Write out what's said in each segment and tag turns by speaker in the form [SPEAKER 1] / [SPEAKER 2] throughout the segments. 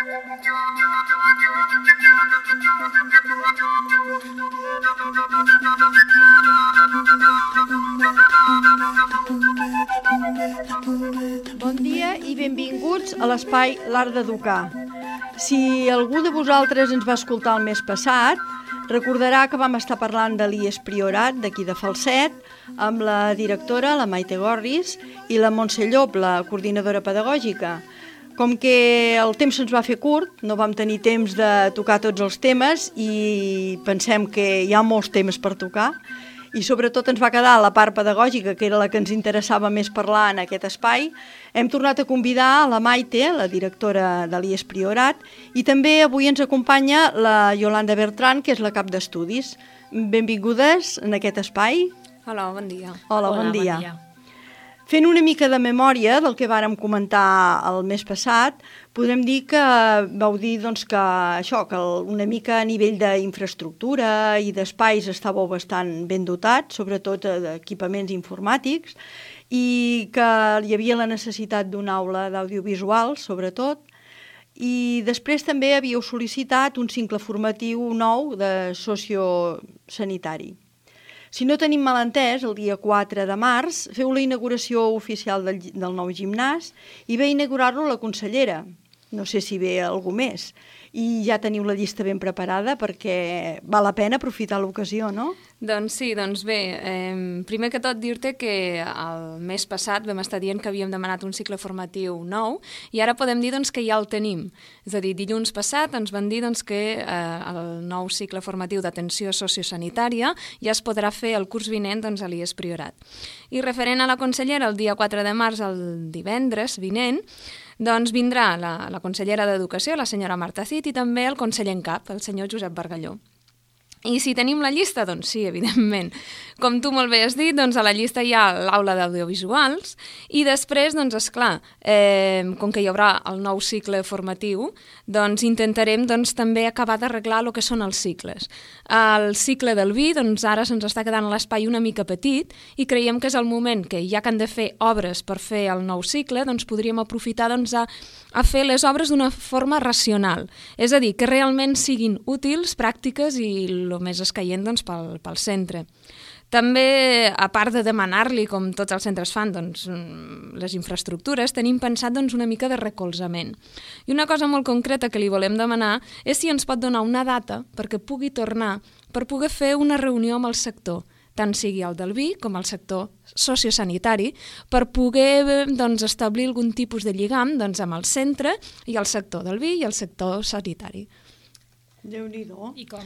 [SPEAKER 1] Bon dia i benvinguts a l'espai L'Art d'Educar. Si algú de vosaltres ens va escoltar el mes passat, recordarà que vam estar parlant de l'IES Priorat, d'aquí de Falset, amb la directora, la Maite Gorris, i la Montse Llop, la coordinadora pedagògica. Com que el temps se'ns va fer curt, no vam tenir temps de tocar tots els temes i pensem que hi ha molts temes per tocar, i sobretot ens va quedar la part pedagògica, que era la que ens interessava més parlar en aquest espai. Hem tornat a convidar la Maite, la directora de l'IES Priorat, i també avui ens acompanya la Yolanda Bertran, que és la cap d'estudis. Benvingudes en aquest espai.
[SPEAKER 2] Hola, bon dia.
[SPEAKER 1] Hola, bon dia. Fent una mica de memòria del que vàrem comentar el mes passat, podem dir que vau dir que una mica a nivell d'infraestructura i d'espais estàveu bastant ben dotats, sobretot d'equipaments informàtics, i que hi havia la necessitat d'una aula d'audiovisual, sobretot, i després també havíeu sol·licitat un cicle formatiu nou de sociosanitari. Si no tenim mal entès, el dia 4 de març feu la inauguració oficial del nou gimnàs i va inaugurar-lo la consellera. No sé si ve algú més. I ja teniu la llista ben preparada perquè val la pena aprofitar l'ocasió, no?
[SPEAKER 2] Doncs sí, doncs bé, primer que tot dir-te que el mes passat vam estar dient que havíem demanat un cicle formatiu nou i ara podem dir que ja el tenim. És a dir, dilluns passat ens van dir que el nou cicle formatiu d'atenció sociosanitària ja es podrà fer el curs vinent a l'IES Priorat. I referent a la consellera, el dia 4 de març, el divendres vinent, vindrà la consellera d'Educació, la senyora Marta Cid, i també el conseller en cap, el senyor Josep Bargalló. I si tenim la llista, doncs sí, evidentment. Com tu molt bé has dit, a la llista hi ha l'aula d'audiovisuals i després, esclar, com que hi haurà el nou cicle formatiu, intentarem també acabar d'arreglar el que són els cicles. El cicle del vi, ara se'ns està quedant l'espai una mica petit i creiem que és el moment que, ja que han de fer obres per fer el nou cicle, podríem aprofitar a fer les obres d'una forma racional. És a dir, que realment siguin útils, pràctiques i el més escaient pel centre. També, a part de demanar-li, com tots els centres fan, les infraestructures, tenim pensat una mica de recolzament. I una cosa molt concreta que li volem demanar és si ens pot donar una data perquè pugui tornar, per poder fer una reunió amb el sector, tant sigui el del vi com el sector sociosanitari, per poder establir algun tipus de lligam amb el centre i el sector del vi i el sector sanitari.
[SPEAKER 1] Déu-n'hi-do.
[SPEAKER 3] I com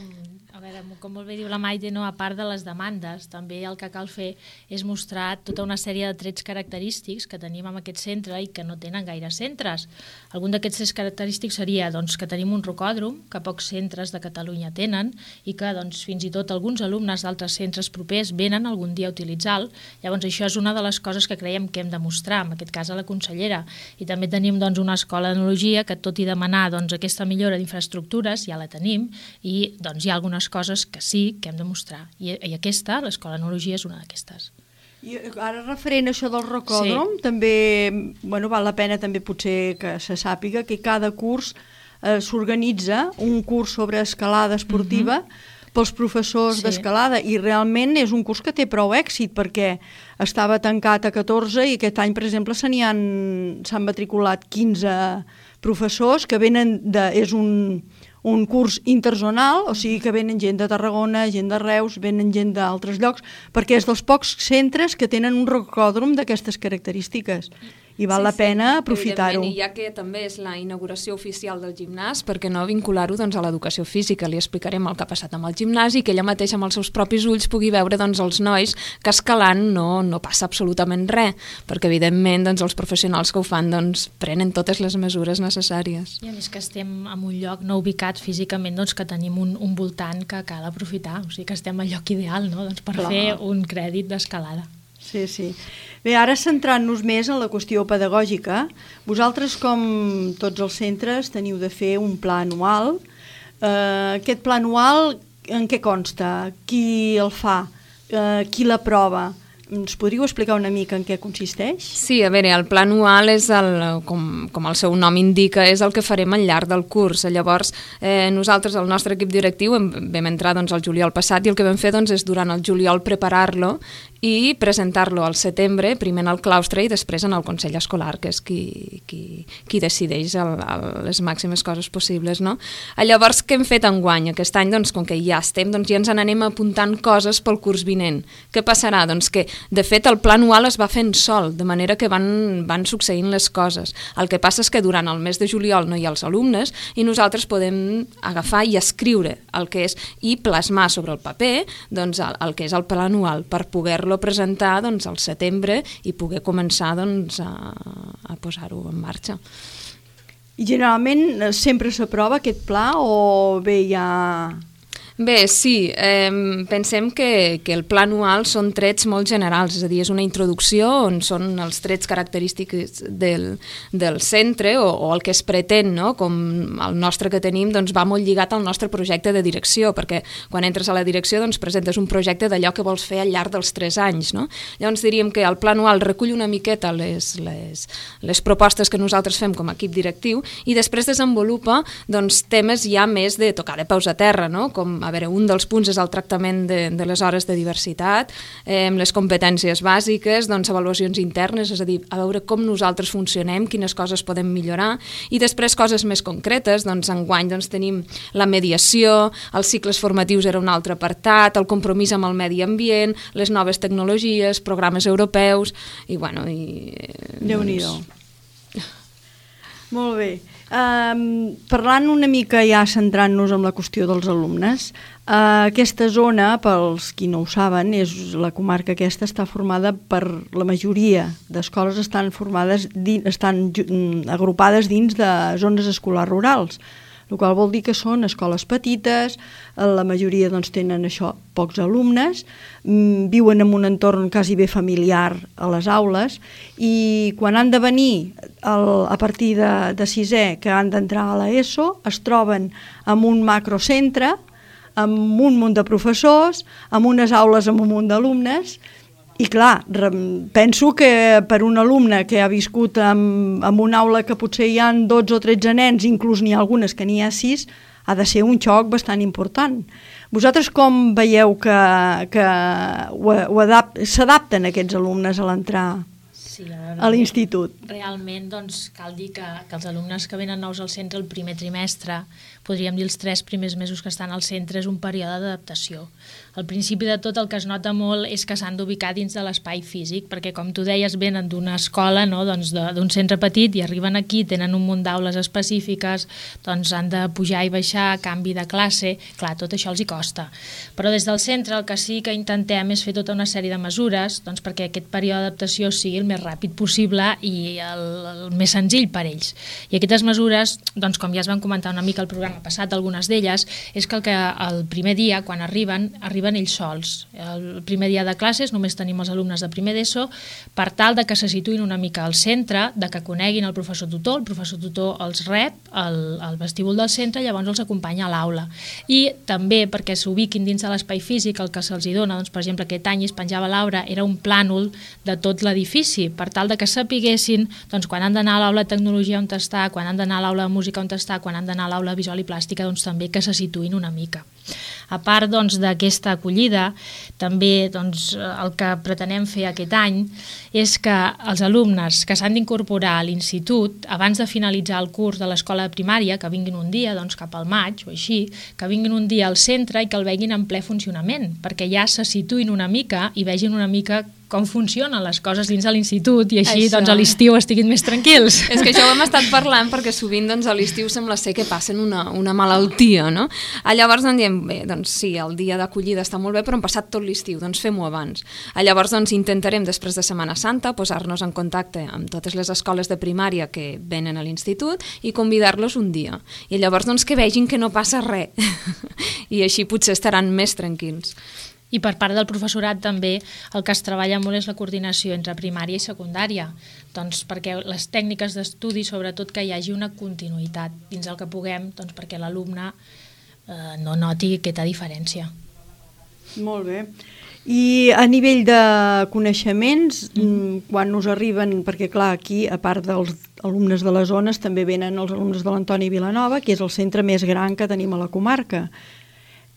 [SPEAKER 3] molt bé diu la Maite, a part de les demandes, també el que cal fer és mostrar tota una sèrie de trets característics que tenim en aquest centre i que no tenen gaires centres. Algun d'aquests trets característics seria que tenim un rocòdrom que pocs centres de Catalunya tenen i que fins i tot alguns alumnes d'altres centres propers venen algun dia a utilitzar-lo. Llavors això és una de les coses que creiem que hem de mostrar, en aquest cas a la consellera. I també tenim una escola d'enologia que, tot i demanar aquesta millora d'infraestructures, ja la tenim, i hi ha algunes coses que sí que hem de mostrar, i aquesta, l'escola d'enologia, és una d'aquestes.
[SPEAKER 1] I ara, referent a això del rocòdrom, també val la pena també potser que se sàpiga que cada curs s'organitza un curs sobre escalada esportiva pels professors d'escalada, i realment és un curs que té prou èxit perquè estava tancat a 14 i aquest any, per exemple, s'han matriculat 15 professors que venen és un curs interzonal, o sigui que venen gent de Tarragona, gent de Reus, venen gent d'altres llocs, perquè és dels pocs centres que tenen un rocòdrom d'aquestes característiques. I val la pena aprofitar-ho.
[SPEAKER 2] I ja que també és la inauguració oficial del gimnàs, per què no vincular-ho a l'educació física? Li explicarem el que ha passat amb el gimnàs i que ella mateixa amb els seus propis ulls pugui veure els nois que escalant no passa absolutament res, perquè evidentment els professionals que ho fan prenen totes les mesures necessàries.
[SPEAKER 3] I a més que estem en un lloc no ubicat físicament, que tenim un voltant que cal aprofitar, o sigui que estem al lloc ideal per fer un crèdit d'escalada.
[SPEAKER 1] Sí, sí. Bé, ara centrant-nos més en la qüestió pedagògica, vosaltres, com tots els centres, teniu de fer un pla anual. Aquest pla anual en què consta? Qui el fa? Qui l'aprova? Ens podríeu explicar una mica en què consisteix?
[SPEAKER 2] Sí, a veure, el pla anual és, com el seu nom indica, és el que farem al llarg del curs. Llavors, nosaltres, el nostre equip directiu, vam entrar doncs, el juliol passat i el que vam fer doncs, és durant el juliol preparar-lo i presentar-lo al setembre, primer en el claustre i després en el Consell Escolar, que és qui decideix les màximes coses possibles. No? Llavors, què hem fet enguany? Aquest any, doncs, com que ja estem, doncs ja ens n'anem apuntant coses pel curs vinent. Què passarà? Doncs que, de fet, el pla anual es va fent sol, de manera que van succeint les coses. El que passa és que durant el mes de juliol no hi ha els alumnes i nosaltres podem agafar i escriure el que és i plasmar sobre el paper doncs, el que és el pla anual per poder-lo presentar doncs, al setembre i poder començar doncs, a posar-ho en marxa.
[SPEAKER 1] I generalment sempre s'aprova aquest pla o bé ja...
[SPEAKER 2] Bé, sí, pensem que el pla anual són trets molt generals, és a dir, és una introducció on són els trets característics del centre o el que es pretén, no? Com el nostre que tenim doncs, va molt lligat al nostre projecte de direcció, perquè quan entres a la direcció doncs, presentes un projecte d'allò que vols fer al llarg dels 3 anys. No? Llavors diríem que el pla anual recull una miqueta les propostes que nosaltres fem com a equip directiu i després desenvolupa doncs, temes ja més de tocar de peus a terra, no? Com a veure, un dels punts és el tractament de les hores de diversitat, les competències bàsiques, doncs avaluacions internes, és a dir, a veure com nosaltres funcionem, quines coses podem millorar, i després coses més concretes, doncs enguany doncs, tenim la mediació, els cicles formatius era un altre apartat, el compromís amb el medi ambient, les noves tecnologies, programes europeus, i bueno...
[SPEAKER 1] Déu-n'hi-do. Molt bé. Parlant una mica ja centrant-nos en la qüestió dels alumnes, aquesta zona, pels qui no ho saben, la comarca aquesta està formada per la majoria d'escoles estan agrupades dins de zones escolars rurals, el qual vol dir que són escoles petites, la majoria doncs, tenen això, pocs alumnes, viuen en un entorn quasi bé familiar a les aules i quan han de venir a partir de sisè, que han d'entrar a l'ESO, es troben en un macrocentre, amb un munt de professors, amb unes aules amb un munt d'alumnes. I clar, penso que per un alumne que ha viscut en una aula que potser hi ha 12 o 13 nens, inclús n'hi ha algunes que n'hi ha 6, ha de ser un xoc bastant important. Vosaltres com veieu que s'adapten aquests alumnes a l'entrar a l'institut?
[SPEAKER 3] Realment doncs, cal dir que els alumnes que venen nous al centre el primer trimestre, podríem dir els 3 primers mesos que estan al centre, és un període d'adaptació. Al principi de tot el que es nota molt és que s'han d'ubicar dins de l'espai físic, perquè com tu deies venen d'una escola, no? Doncs d'un centre petit i arriben aquí, tenen un munt d'aules específiques, doncs han de pujar i baixar, canvi de classe, clar, tot això els hi costa. Però des del centre el que sí que intentem és fer tota una sèrie de mesures doncs, perquè aquest període d'adaptació sigui el més ràpid possible i el més senzill per ells. I aquestes mesures, doncs, com ja es van comentar una mica al programa passat, algunes d'elles, és que el primer dia, quan arriben ells sols. El primer dia de classes només tenim els alumnes de primer d'ESO per tal de que se situïn una mica al centre, de que coneguin el professor tutor els rep al vestíbul del centre i llavors els acompanya a l'aula. I també perquè s'ubiquin dins de l'espai físic el que se'ls dona, doncs, per exemple, aquest any es penjava a l'aula, era un plànol de tot l'edifici, per tal de que sapiguessin doncs, quan han d'anar a l'aula de tecnologia on està, quan han d'anar a l'aula de música on està, quan han d'anar a l'aula visual i plàstica, doncs també que se situïn una mica. A part doncs, d'aquesta acollida, també doncs, el que pretenem fer aquest any és que els alumnes que s'han d'incorporar a l'institut, abans de finalitzar el curs de l'escola de primària, que vinguin un dia, doncs, cap al maig o així, que vinguin un dia al centre i que el vegin en ple funcionament, perquè ja se situïn una mica i vegin una mica com funcionen les coses dins de l'institut i així doncs, a l'estiu estiguin més tranquils.
[SPEAKER 2] És que això ho hem estat parlant perquè sovint doncs, a l'estiu sembla ser que passen una malaltia, no? Llavors doncs, diem, bé, doncs sí, el dia d'acollida està molt bé, però hem passat tot l'estiu, doncs fem-ho abans. Llavors doncs, intentarem després de Setmana Santa posar-nos en contacte amb totes les escoles de primària que venen a l'institut i convidar-los un dia. I llavors doncs, que vegin que no passa res i així potser estaran més tranquils.
[SPEAKER 3] I per part del professorat també el que es treballa molt és la coordinació entre primària i secundària, doncs perquè les tècniques d'estudi, sobretot que hi hagi una continuïtat dins el que puguem, doncs perquè l'alumne no noti aquesta diferència.
[SPEAKER 1] Molt bé. I a nivell de coneixements, quan us arriben, perquè clar, aquí, a part dels alumnes de les zones, també venen els alumnes de l'Antoni Vilanova, que és el centre més gran que tenim a la comarca.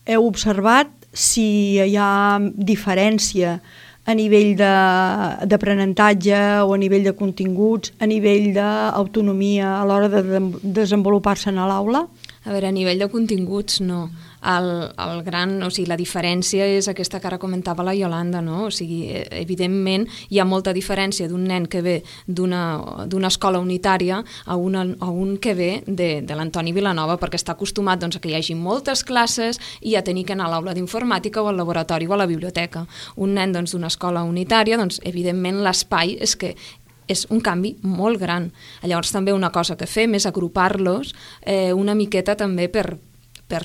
[SPEAKER 1] Heu observat si hi ha diferència a nivell d'aprenentatge o a nivell de continguts, a nivell d'autonomia a l'hora de desenvolupar-se a l'aula?
[SPEAKER 2] A veure, a nivell de continguts, no. La diferència és aquesta que ara comentava la Iolanda, no? O sigui, evidentment hi ha molta diferència d'un nen que ve d'una escola unitària a un que ve de l'Antoni Vilanova, perquè està acostumat doncs, a que hi hagi moltes classes i a tenir que anar a l'aula d'informàtica o al laboratori o a la biblioteca. Un nen d'una escola unitària, doncs, evidentment l'espai és un canvi molt gran. Llavors també una cosa que fem és agrupar-los una miqueta també per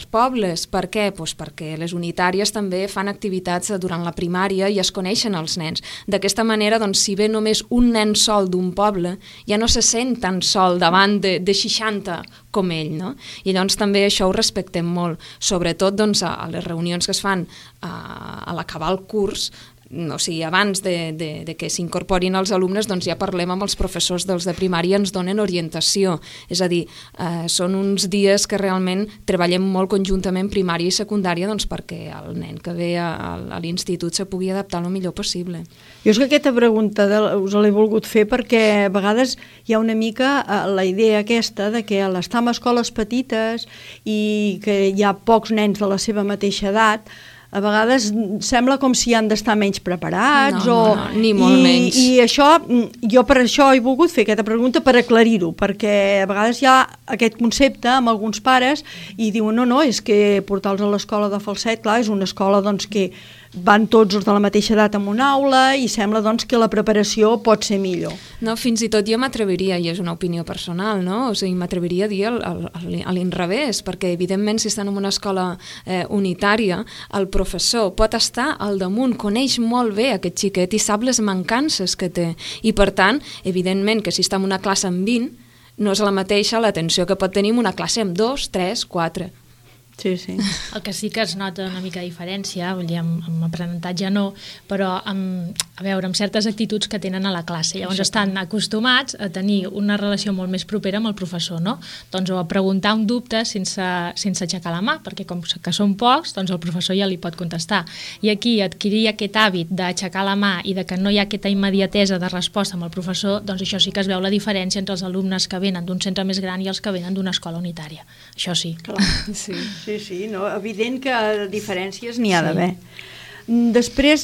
[SPEAKER 2] pobles. Per què? Doncs perquè les unitàries també fan activitats durant la primària i es coneixen els nens. D'aquesta manera, doncs, si ve només un nen sol d'un poble, ja no se sent tan sol davant de 60 com ell, no? I llavors també això ho respectem molt, sobretot doncs, a les reunions que es fan a l'acabar el curs. O sigui, abans de que s'incorporin els alumnes, doncs ja parlem amb els professors dels de primària i ens donen orientació. És a dir, són uns dies que realment treballem molt conjuntament primària i secundària doncs perquè el nen que ve a l'institut se pugui adaptar el millor possible.
[SPEAKER 1] Jo és que aquesta pregunta us l'he volgut fer perquè a vegades hi ha una mica la idea aquesta de que a l'estar en escoles petites i que hi ha pocs nens de la seva mateixa edat, a vegades sembla com si han d'estar menys preparats.
[SPEAKER 2] No, ni molt menys.
[SPEAKER 1] I això, jo per això he volgut fer aquesta pregunta per aclarir-ho, perquè a vegades hi ha aquest concepte amb alguns pares i diuen no, és que portar-los a l'escola de Falset, clar, és una escola doncs, que van tots els de la mateixa edat en una aula i sembla doncs, que la preparació pot ser millor.
[SPEAKER 2] No, fins i tot jo m'atreviria, i és una opinió personal, no? O sigui, m'atreviria a dir a l'inrevés, perquè evidentment si estan en una escola unitària, el professor pot estar al damunt, coneix molt bé aquest xiquet i sap les mancances que té. I per tant, evidentment que si està en una classe amb 20, no és la mateixa l'atenció que pot tenir en una classe amb 2, 3, 4.
[SPEAKER 1] Sí, sí.
[SPEAKER 3] El que sí que es nota una mica de diferència, vull dir, amb aprenentatge no, però amb certes actituds que tenen a la classe. Llavors estan acostumats a tenir una relació molt més propera amb el professor, no? Doncs o a preguntar un dubte sense aixecar la mà, perquè com que són pocs, doncs el professor ja li pot contestar. I aquí adquirir aquest hàbit d'aixecar la mà i de que no hi ha aquesta immediatesa de resposta amb el professor, doncs això sí que es veu la diferència entre els alumnes que venen d'un centre més gran i els que venen d'una escola unitària. Això sí.
[SPEAKER 1] Clar, sí, no? Evident que diferències n'hi ha d'haver. Després,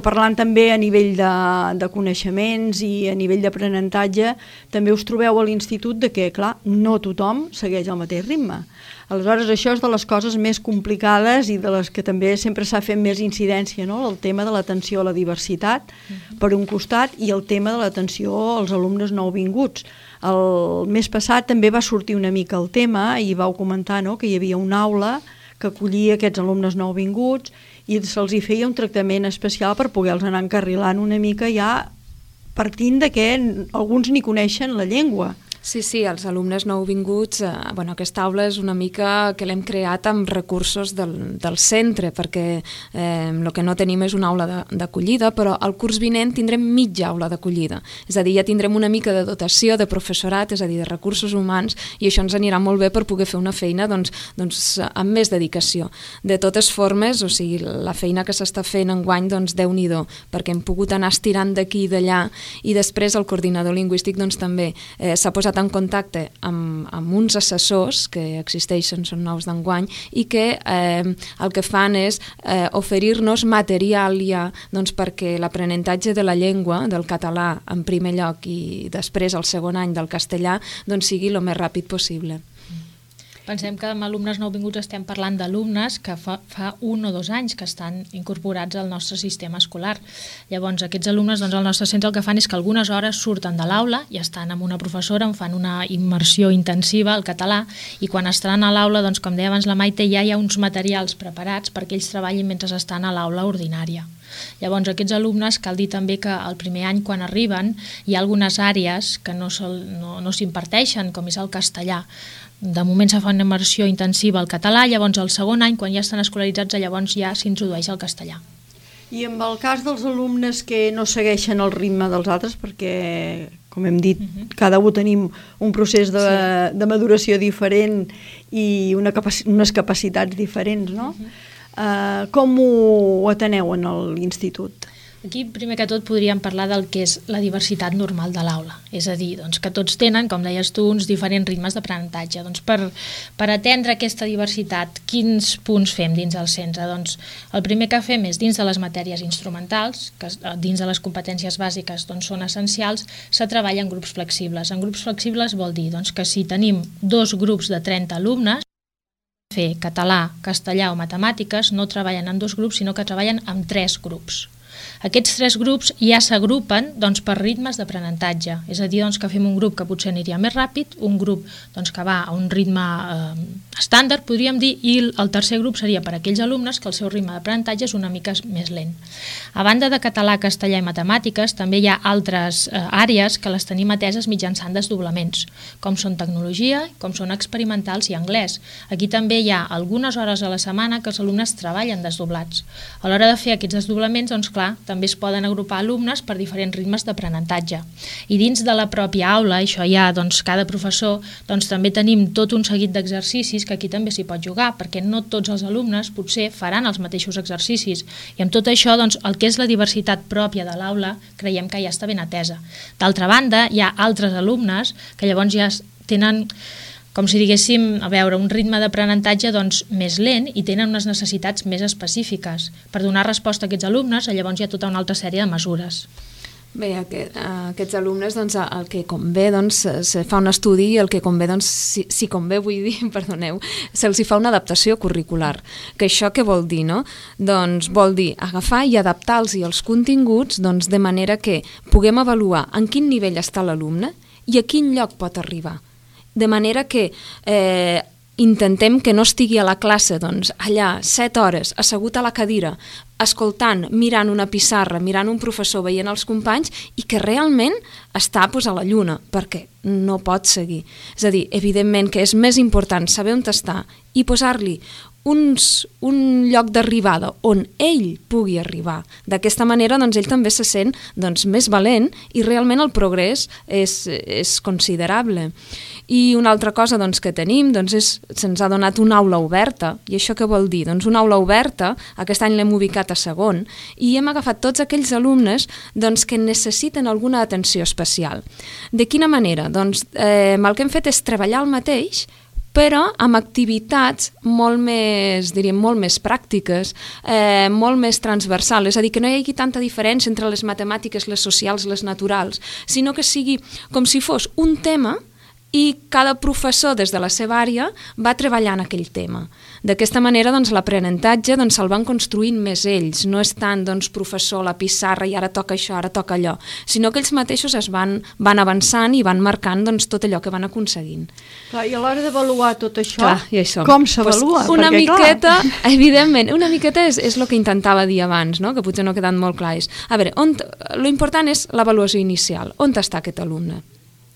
[SPEAKER 1] parlant també a nivell de coneixements i a nivell d'aprenentatge, també us trobeu a l'institut de que, clar, no tothom segueix el mateix ritme. Aleshores, això és de les coses més complicades i de les que també sempre s'ha fet més incidència, no? El tema de l'atenció a la diversitat, per un costat, i el tema de l'atenció als alumnes nouvinguts. El mes passat també va sortir una mica el tema i vau comentar, no?, que hi havia una aula que acollia aquests alumnes nouvinguts i se'ls hi feia un tractament especial per poder-los anar encarrilant una mica ja partint de que alguns ni coneixen la llengua.
[SPEAKER 2] Sí, els alumnes nouvinguts, aquesta aula és una mica que l'hem creat amb recursos del centre, perquè el que no tenim és una aula d'acollida, però el curs vinent tindrem mitja aula d'acollida. És a dir, ja tindrem una mica de dotació de professorat, és a dir, de recursos humans, i això ens anirà molt bé per poder fer una feina doncs, amb més dedicació. De totes formes, o sigui, la feina que s'està fent enguany, doncs, Déu-n'hi-do, perquè hem pogut anar estirant d'aquí i d'allà, i després el coordinador lingüístic doncs, també s'ha posat en contacte amb uns assessors que existeixen, són nous d'enguany, i que el que fan és oferir-nos material ja perquè l'aprenentatge de la llengua, del català en primer lloc i després el segon any del castellà, doncs sigui el més ràpid possible.
[SPEAKER 3] Pensem que amb alumnes nouvinguts estem parlant d'alumnes que fa 1 o 2 anys que estan incorporats al nostre sistema escolar. Llavors, aquests alumnes al nostre centre el que fan és que algunes hores surten de l'aula i estan amb una professora, fan una immersió intensiva al català, i quan estan a l'aula, com deia abans la Maite, ja hi ha uns materials preparats perquè ells treballin mentre estan a l'aula ordinària. Llavors, aquests alumnes, cal dir també que el primer any, quan arriben, hi ha algunes àrees que no s'imparteixen, com és el castellà. De moment se fa una immersió intensiva al català, llavors el segon any, quan ja estan escolaritzats, llavors ja s'introdueix el castellà.
[SPEAKER 1] I amb el cas dels alumnes que no segueixen el ritme dels altres, perquè, com hem dit, cada un tenim un procés de maduració diferent i unes capacitats diferents, no? Com ho ateneu en l'institut?
[SPEAKER 3] Aquí, primer que tot, podríem parlar del que és la diversitat normal de l'aula. És a dir, doncs, que tots tenen, com deies tu, uns diferents ritmes d'aprenentatge. Doncs per atendre aquesta diversitat, quins punts fem dins del centre? Doncs, el primer que fem és, dins de les matèries instrumentals, que dins de les competències bàsiques doncs, són essencials, se treballa en grups flexibles. En grups flexibles vol dir doncs, que si tenim 2 grups de 30 alumnes, fer català, castellà o matemàtiques, no treballen en 2 grups, sinó que treballen en 3 grups. Aquests 3 grups ja s'agrupen doncs, per ritmes d'aprenentatge, és a dir, doncs, que fem un grup que potser aniria més ràpid, un grup doncs, que va a un ritme estàndard, podríem dir, i el tercer grup seria per a aquells alumnes que el seu ritme d'aprenentatge és una mica més lent. A banda de català, castellà i matemàtiques, també hi ha altres àrees que les tenim ateses mitjançant desdoblaments, com són tecnologia, com són experimentals i anglès. Aquí també hi ha algunes hores a la setmana que els alumnes treballen desdoblats. A l'hora de fer aquests desdoblaments, doncs clar, també es poden agrupar alumnes per diferents ritmes d'aprenentatge. I dins de la pròpia aula, això ja, doncs, cada professor, doncs, també tenim tot un seguit d'exercicis que aquí també s'hi pot jugar, perquè no tots els alumnes potser faran els mateixos exercicis. I amb tot això, doncs, el que és la diversitat pròpia de l'aula, creiem que ja està ben atesa. D'altra banda, hi ha altres alumnes que llavors ja tenen, com si diguéssim, a veure, un ritme d'aprenentatge doncs, més lent i tenen unes necessitats més específiques. Per donar resposta a aquests alumnes, llavors hi ha tota una altra sèrie de mesures.
[SPEAKER 2] Bé, aquests alumnes, doncs, el que convé, doncs, se fa un estudi i el que convé, doncs, si convé, vull dir, perdoneu, se'ls fa una adaptació curricular. Que això què vol dir, no? Doncs vol dir agafar i adaptar-los els continguts doncs, de manera que puguem avaluar en quin nivell està l'alumne i a quin lloc pot arribar. De manera que intentem que no estigui a la classe doncs, allà 7 hores assegut a la cadira, escoltant, mirant una pissarra, mirant un professor, veient els companys i que realment està pues, a la lluna, perquè no pot seguir. És a dir, evidentment que és més important saber on està i posar-li un lloc d'arribada on ell pugui arribar. D'aquesta manera doncs, ell també se sent doncs, més valent i realment el progrés és considerable. I una altra cosa doncs, que tenim doncs, se'ns ha donat una aula oberta. I això què vol dir? Doncs una aula oberta, aquest any l'hem ubicat a segon, i hem agafat tots aquells alumnes doncs, que necessiten alguna atenció especial. De quina manera? Doncs el que hem fet és treballar el mateix, però amb activitats molt més, diríem, molt més pràctiques, molt més transversals, és a dir, que no hi hagi tanta diferència entre les matemàtiques, les socials, les naturals, sinó que sigui com si fos un tema i cada professor des de la seva àrea va treballant aquell tema. D'aquesta manera doncs, l'aprenentatge doncs, se'l van construint més ells, no és tant doncs, professor a la pissarra i ara toca això, ara toca allò, sinó que ells mateixos es van avançant i van marcant doncs, tot allò que van aconseguint.
[SPEAKER 1] Clar, i a l'hora d'avaluar tot això,
[SPEAKER 2] clar,
[SPEAKER 1] com s'avalua?
[SPEAKER 2] Una miqueta, evidentment, una miqueta és el que intentava dir abans, no? Que potser no ha quedat molt clar. A veure, lo important és l'avaluació inicial. On està aquest alumne?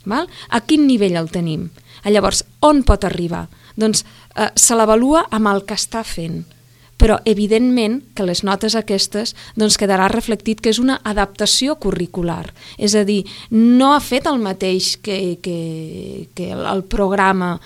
[SPEAKER 2] Val? A quin nivell el tenim? Llavors, on pot arribar? Doncs se l'avalua amb el que està fent, però evidentment que les notes aquestes doncs, quedarà reflectit que és una adaptació curricular, és a dir, no ha fet el mateix que el programa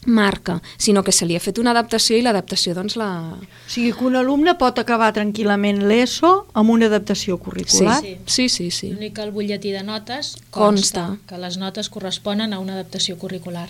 [SPEAKER 2] marca, sinó que se li ha fet una adaptació i l'adaptació doncs la...
[SPEAKER 1] O sigui que un alumne pot acabar tranquil·lament l'ESO amb una adaptació curricular?
[SPEAKER 2] Sí.
[SPEAKER 3] L'únic que el butlletí de notes consta que les notes corresponen a una adaptació curricular.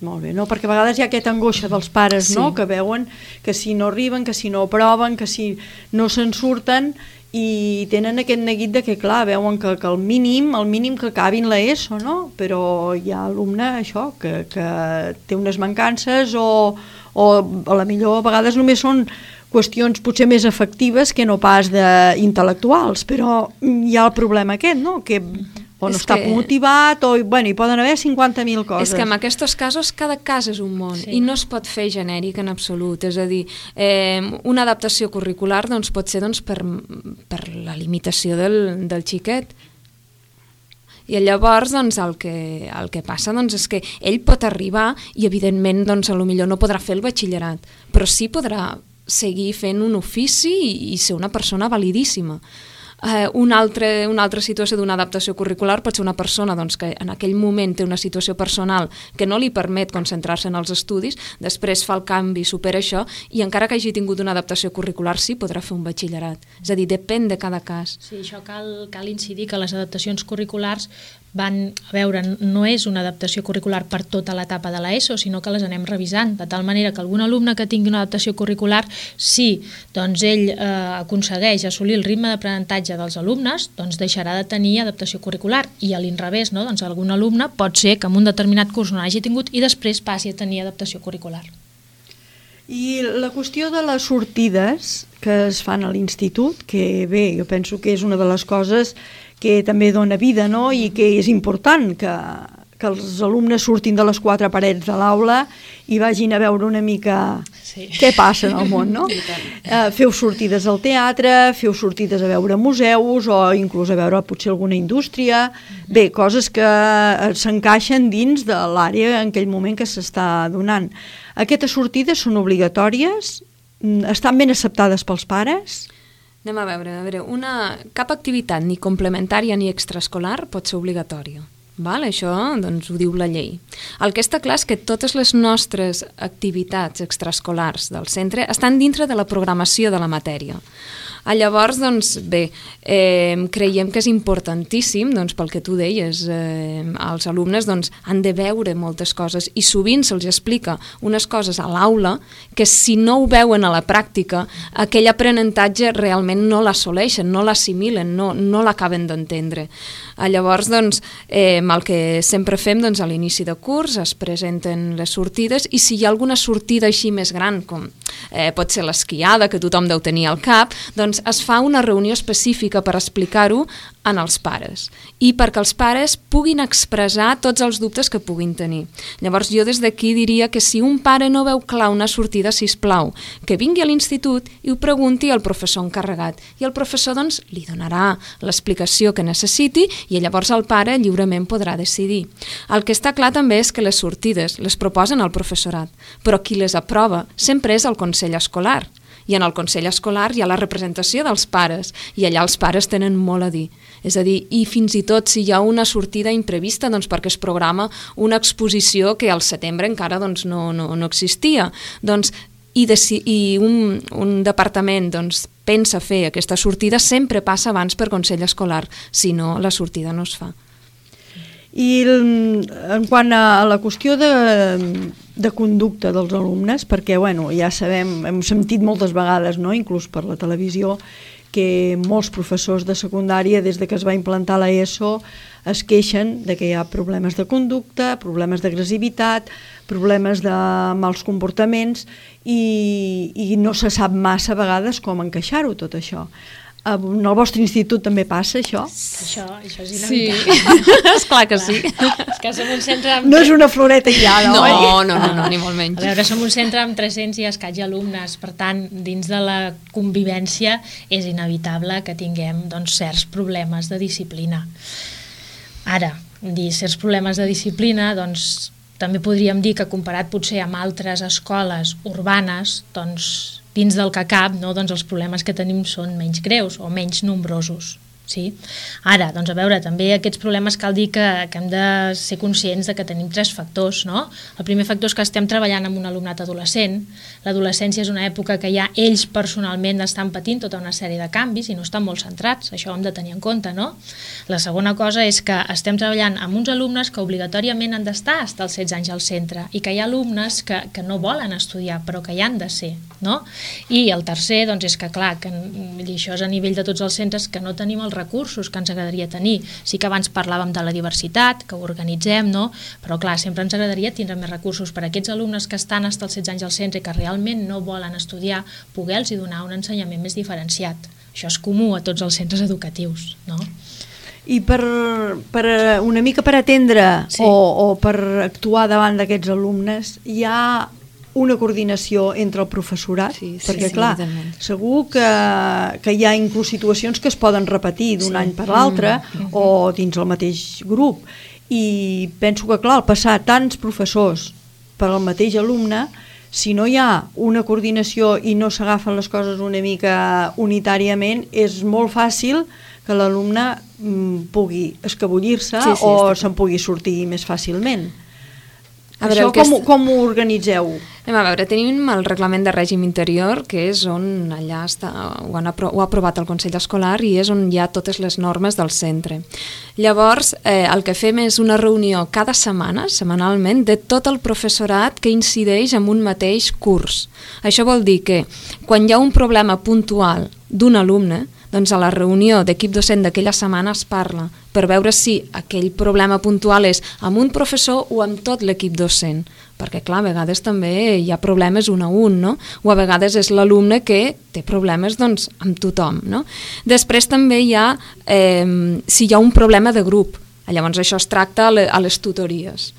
[SPEAKER 1] Molt bé, no? Perquè a vegades hi ha aquesta angoixa dels pares, no? Que veuen que si no arriben, que si no aproven, que si no se'n surten i tenen aquest neguit de que, clar, veuen que el mínim que acabin l'ESO, no? Però hi ha alumne, això, que té unes mancances o a la millor a vegades només són qüestions potser més efectives que no pas intel·lectuals, però hi ha el problema aquest, no? Que o no està motivat, o bueno, hi poden haver 50.000 coses.
[SPEAKER 2] És que en aquests casos cada cas és un món i no es pot fer genèric en absolut, és a dir, una adaptació curricular doncs, pot ser doncs, per la limitació del xiquet. I llavors doncs, el que passa doncs, és que ell pot arribar i evidentment doncs, potser no podrà fer el batxillerat, però sí podrà seguir fent un ofici i ser una persona validíssima. Una altra situació d'una adaptació curricular pot ser una persona doncs, que en aquell moment té una situació personal que no li permet concentrar-se en els estudis, després fa el canvi, supera això, i encara que hagi tingut una adaptació curricular sí podrà fer un batxillerat. És a dir, depèn de cada cas.
[SPEAKER 3] Sí, això cal incidir que les adaptacions curriculars van, a veure, no és una adaptació curricular per tota l'etapa de l'ESO, sinó que les anem revisant, de tal manera que algun alumne que tingui una adaptació curricular, si doncs, ell aconsegueix assolir el ritme d'aprenentatge dels alumnes, doncs deixarà de tenir adaptació curricular, i a l'inrevés, no? Doncs algun alumne pot ser que en un determinat curs no hagi tingut i després passi a tenir adaptació curricular.
[SPEAKER 1] I la qüestió de les sortides que es fan a l'institut, que bé, jo penso que és una de les coses que també dona vida, no? I que és important que els alumnes surtin de les quatre parets de l'aula i vagin a veure una mica què passa en el món, no? Feu sortides al teatre, feu sortides a veure museus o inclús a veure potser alguna indústria, bé, coses que s'encaixen dins de l'àrea en aquell moment que s'està donant. Aquestes sortides són obligatòries? Estan ben acceptades pels pares?
[SPEAKER 2] Anem a veure, cap activitat ni complementària ni extraescolar pot ser obligatòria. Val? Això doncs, ho diu la llei. El que està clar és que totes les nostres activitats extraescolars del centre estan dintre de la programació de la matèria. Llavors, doncs, bé, creiem que és importantíssim, doncs, pel que tu deies, els alumnes doncs, han de veure moltes coses i sovint se'ls explica unes coses a l'aula que si no ho veuen a la pràctica, aquell aprenentatge realment no l'assoleixen, no l'assimilen, no l'acaben d'entendre. Llavors, doncs, el que sempre fem doncs, a l'inici de curs es presenten les sortides i si hi ha alguna sortida així més gran, com pot ser l'esquiada, que tothom deu tenir al cap, doncs es fa una reunió específica per explicar-ho en els pares i perquè els pares puguin expressar tots els dubtes que puguin tenir. Llavors jo des d'aquí diria que si un pare no veu clar una sortida, sisplau, que vingui a l'institut i ho pregunti al professor encarregat i el professor doncs li donarà l'explicació que necessiti i llavors el pare lliurement podrà decidir. El que està clar també és que les sortides les proposen al professorat, però qui les aprova sempre és el Consell Escolar. I en el Consell Escolar hi ha la representació dels pares i allà els pares tenen molt a dir. És a dir, i fins i tot si hi ha una sortida imprevista doncs perquè es programa una exposició que al setembre encara doncs, no existia, doncs, i un departament doncs, pensa fer aquesta sortida, sempre passa abans per Consell Escolar, si no la sortida no es fa.
[SPEAKER 1] I en quant a la qüestió de conducta dels alumnes, perquè bueno, ja sabem, hem sentit moltes vegades, no? Inclús per la televisió, que molts professors de secundària, des de que es va implantar l'ESO, es queixen de que hi ha problemes de conducta, problemes d'agressivitat, problemes de mals comportaments i no se sap massa a vegades com encaixar-ho tot això. En el vostre institut també passa això?
[SPEAKER 3] Això és inevitable.
[SPEAKER 2] Sí, esclar que sí.
[SPEAKER 3] És que som un centre amb...
[SPEAKER 1] No és una floreta aïllada, oi?
[SPEAKER 2] No, ni molt menys.
[SPEAKER 3] A veure, som un centre amb 300 i escaig alumnes, per tant, dins de la convivència és inevitable que tinguem doncs, certs problemes de disciplina. Ara, dir certs problemes de disciplina, doncs també podríem dir que comparat potser amb altres escoles urbanes, doncs dins del que cap, no, doncs els problemes que tenim són menys greus o menys nombrosos. Sí? Ara, doncs a veure, també aquests problemes cal dir que hem de ser conscients de que tenim 3 factors, no? El primer factor és que estem treballant amb un alumnat adolescent. L'adolescència és una època que ja ells personalment estan patint tota una sèrie de canvis i no estan molt centrats, això ho hem de tenir en compte, no? La segona cosa és que estem treballant amb uns alumnes que obligatòriament han d'estar als 16 anys al centre i que hi ha alumnes que no volen estudiar però que hi han de ser, no? I el tercer, doncs és que clar, i això és a nivell de tots els centres, que no tenim els recursos que ens agradaria tenir. Sí que abans parlàvem de la diversitat, que ho organitzem, no? Però clar, sempre ens agradaria tindre més recursos per a aquests alumnes que estan fins als 16 anys al centre i que realment no volen estudiar, poder-los donar un ensenyament més diferenciat. Això és comú a tots els centres educatius, no?
[SPEAKER 1] I per una mica per atendre o per actuar davant d'aquests alumnes, hi ha una coordinació entre el professorat, perquè clar, segur que hi ha inclús situacions que es poden repetir d'un any per l'altre o dins el mateix grup, i penso que clar, al passar tants professors per al mateix alumne, si no hi ha una coordinació i no s'agafen les coses una mica unitàriament, és molt fàcil que l'alumne pugui escabullir-se o se'n pugui sortir més fàcilment. Això com ho organitzeu?
[SPEAKER 2] Anem a veure, tenim el reglament de règim interior, que és on allà ho ha aprovat el Consell Escolar i és on hi ha totes les normes del centre. Llavors, el que fem és una reunió cada setmana, setmanalment, de tot el professorat que incideix en un mateix curs. Això vol dir que quan hi ha un problema puntual d'un alumne, doncs a la reunió d'equip docent d'aquella setmana es parla per veure si aquell problema puntual és amb un professor o amb tot l'equip docent, perquè clar, a vegades també hi ha problemes un a un, no? O a vegades és l'alumne que té problemes doncs amb tothom, no? Després també hi ha si hi ha un problema de grup, llavors això es tracta a les tutories.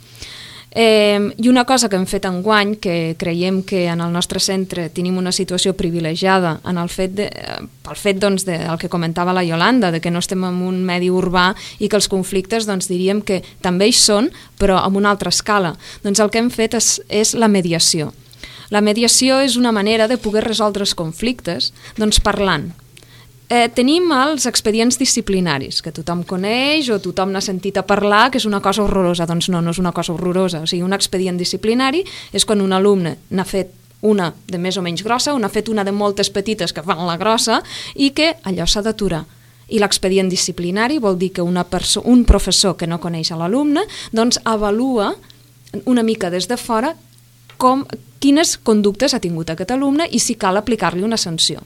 [SPEAKER 2] I una cosa que hem fet enguany, que creiem que en el nostre centre tenim una situació privilegiada pel fet doncs, del que comentava la Iolanda, de que no estem en un medi urbà i que els conflictes doncs, diríem que també hi són, però amb una altra escala. Doncs el que hem fet és la mediació. La mediació és una manera de poder resoldre els conflictes doncs, parlant. Tenim els expedients disciplinaris, que tothom coneix o tothom n'ha sentit a parlar, que és una cosa horrorosa. Doncs no és una cosa horrorosa. O sigui, un expedient disciplinari és quan un alumne n'ha fet una de més o menys grossa, n'ha fet una de moltes petites que fan la grossa i que allò s'ha d'aturar. I l'expedient disciplinari vol dir que un professor que no coneix a l'alumne doncs avalua una mica des de fora quines conductes ha tingut aquest alumne i si cal aplicar-li una sanció.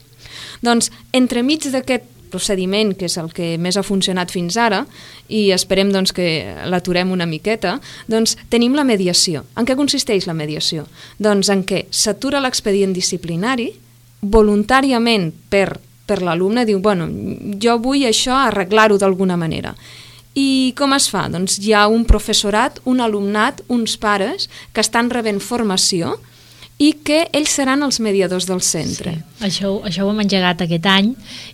[SPEAKER 2] Doncs, entremig d'aquest procediment, que és el que més ha funcionat fins ara, i esperem doncs, que l'aturem una miqueta, doncs tenim la mediació. En què consisteix la mediació? Doncs en què s'atura l'expedient disciplinari, voluntàriament per l'alumne, diu, bueno, jo vull això arreglar-ho d'alguna manera. I com es fa? Doncs hi ha un professorat, un alumnat, uns pares que estan rebent formació i que ells seran els mediadors del centre.
[SPEAKER 3] Sí, això ho hem engegat aquest any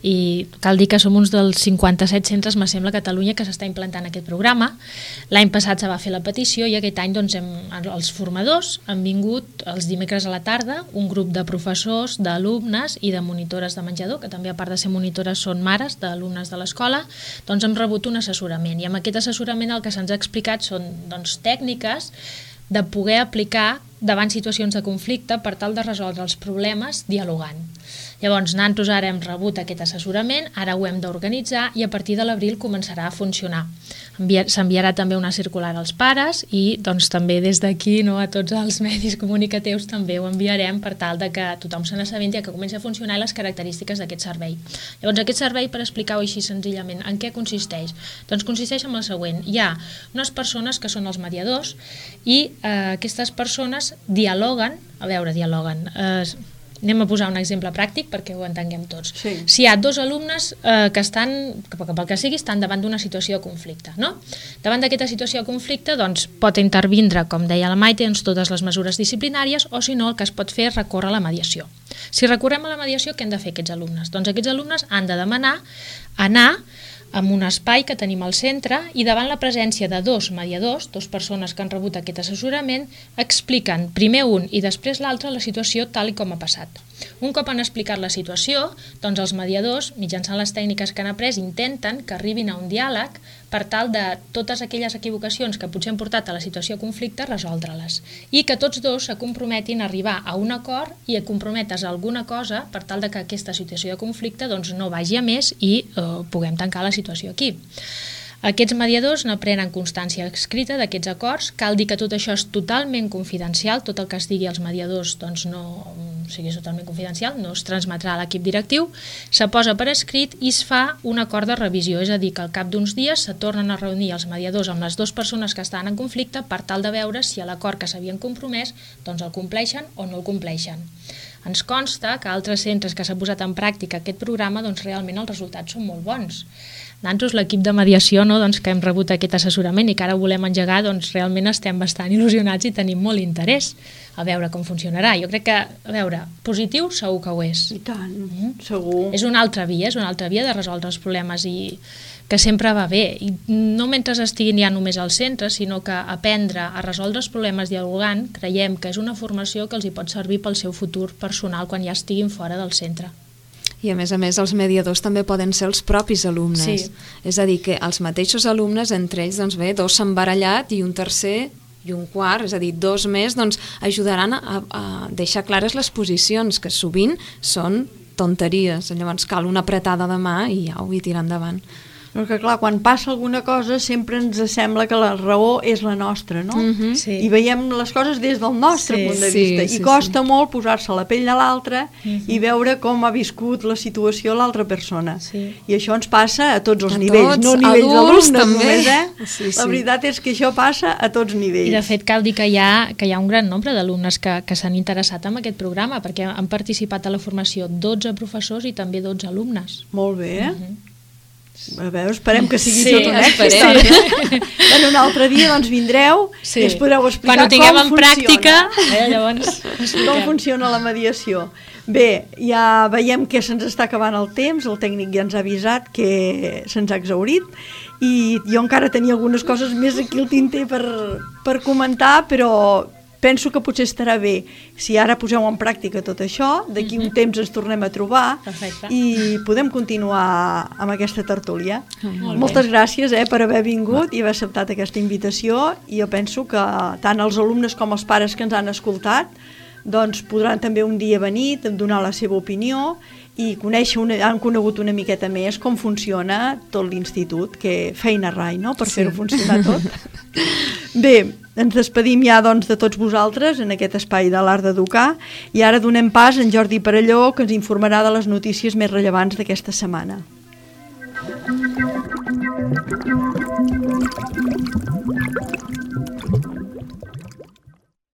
[SPEAKER 3] i cal dir que som uns dels 57 centres, me sembla, a Catalunya que s'està implantant aquest programa. L'any passat se va fer la petició i aquest any doncs, els formadors han vingut els dimecres a la tarda, un grup de professors, d'alumnes i de monitores de menjador, que també a part de ser monitores són mares d'alumnes de l'escola, doncs hem rebut un assessorament i amb aquest assessorament el que se'ns ha explicat són doncs, tècniques de poder aplicar davant situacions de conflicte per tal de resoldre els problemes dialogant. Llavors, nosaltres ara hem rebut aquest assessorament, ara ho hem d'organitzar i a partir de l'abril començarà a funcionar. S'enviarà també una circular als pares i doncs, també des d'aquí a tots els medis comunicatius també ho enviarem per tal de que tothom se n'assabenti que comenci a funcionar les característiques d'aquest servei. Llavors, aquest servei, per explicar-ho així senzillament, en què consisteix? Doncs consisteix en el següent. Hi ha unes persones que són els mediadors i aquestes persones dialoguen. Anem a posar un exemple pràctic perquè ho entenguem tots.
[SPEAKER 1] Sí.
[SPEAKER 3] Si hi ha dos alumnes que estan, pel que sigui, estan davant d'una situació de conflicte, no? Davant d'aquesta situació de conflicte doncs, pot intervindre, com deia la Maite, totes les mesures disciplinàries o si no el que es pot fer és recórrer a la mediació. Si recorrem a la mediació, què han de fer aquests alumnes? Doncs aquests alumnes han de demanar anar en un espai que tenim al centre i davant la presència de dos mediadors, dues persones que han rebut aquest assessorament, expliquen primer un i després l'altre la situació tal com ha passat. Un cop han explicat la situació, doncs els mediadors, mitjançant les tècniques que han après, intenten que arribin a un diàleg per tal de totes aquelles equivocacions que potser han portat a la situació de conflicte, resoldre-les. I que tots dos se comprometin a arribar a un acord i a comprometes alguna cosa per tal de que aquesta situació de conflicte doncs, no vagi a més i puguem tancar la situació aquí. Aquests mediadors no prenen constància escrita d'aquests acords. Cal dir que tot això és totalment confidencial, tot el que es digui als mediadors doncs és totalment confidencial, no es transmetrà a l'equip directiu, se posa per escrit i es fa un acord de revisió, és a dir, que al cap d'uns dies se tornen a reunir els mediadors amb les dues persones que estan en conflicte per tal de veure si l'acord que s'havien compromès doncs el compleixen o no el compleixen. Ens consta que altres centres que s'ha posat en pràctica aquest programa doncs realment els resultats són molt bons. nosaltres, l'equip de mediació, no, doncs, que hem rebut aquest assessorament i que ara volem engegar, doncs realment estem bastant il·lusionats i tenim molt interès a veure com funcionarà. Jo crec que, a veure, positiu segur que ho és.
[SPEAKER 1] I tant, segur.
[SPEAKER 3] És una altra via de resoldre els problemes i que sempre va bé. I no mentre estiguin ja només al centre, sinó que aprendre a resoldre els problemes dialogant, creiem que és una formació que els hi pot servir pel seu futur personal quan ja estiguin fora del centre.
[SPEAKER 2] I a més, els mediadors també poden ser els propis alumnes.
[SPEAKER 3] Sí.
[SPEAKER 2] És a dir, que els mateixos alumnes, entre ells, doncs bé, 2 s'han barallat i un tercer i un quart, és a dir, 2 més, doncs ajudaran a deixar clares les posicions, que sovint són tonteries. Llavors cal una apretada de mà i ja ho vull tirar endavant.
[SPEAKER 1] Perquè clar, quan passa alguna cosa sempre ens sembla que la raó és la nostra, no?
[SPEAKER 3] Sí.
[SPEAKER 1] I veiem les coses des del nostre punt de vista. I costa molt posar-se a la pell de l'altre i veure com ha viscut la situació l'altra persona.
[SPEAKER 3] Sí.
[SPEAKER 1] I això ens passa a tots els
[SPEAKER 2] A
[SPEAKER 1] nivells,
[SPEAKER 2] tots,
[SPEAKER 1] no a nivells
[SPEAKER 2] adults,
[SPEAKER 1] d'alumnes
[SPEAKER 2] també.
[SPEAKER 1] només,
[SPEAKER 2] Sí.
[SPEAKER 1] La veritat és que això passa a tots nivells.
[SPEAKER 3] I de fet cal dir que hi ha un gran nombre d'alumnes que s'han interessat en aquest programa, perquè han participat a la formació 12 professors i també 12 alumnes.
[SPEAKER 1] Molt bé. A veure, esperem que sigui
[SPEAKER 3] Sí,
[SPEAKER 1] tot un èxit.
[SPEAKER 2] esperem.
[SPEAKER 1] En un altre dia doncs vindreu i ens podreu explicar
[SPEAKER 3] quan ho tinguem
[SPEAKER 1] com
[SPEAKER 3] en pràctica,
[SPEAKER 1] funciona.
[SPEAKER 3] llavors
[SPEAKER 1] Com funciona la mediació. Bé, ja veiem que se'ns està acabant el temps, el tècnic ja ens ha avisat que se'ns ha exhaurit i jo encara tenia algunes coses més aquí al tinter per comentar, però penso que potser estarà bé si ara poseu en pràctica tot això, d'aquí un temps ens tornem a trobar.
[SPEAKER 3] Perfecte.
[SPEAKER 1] I podem continuar amb aquesta tertúlia.
[SPEAKER 3] Molt
[SPEAKER 1] Moltes gràcies per haver vingut i haver acceptat aquesta invitació, i jo penso que tant els alumnes com els pares que ens han escoltat doncs podran també un dia venir, donar la seva opinió i han conegut una miqueta més com funciona tot l'institut, que feina rai, no?, per fer-ho funcionar tot. Bé, ens despedim ja doncs de tots vosaltres en aquest espai de l'art d'educar i ara donem pas a en Jordi Perelló, que ens informarà de les notícies més rellevants d'aquesta setmana.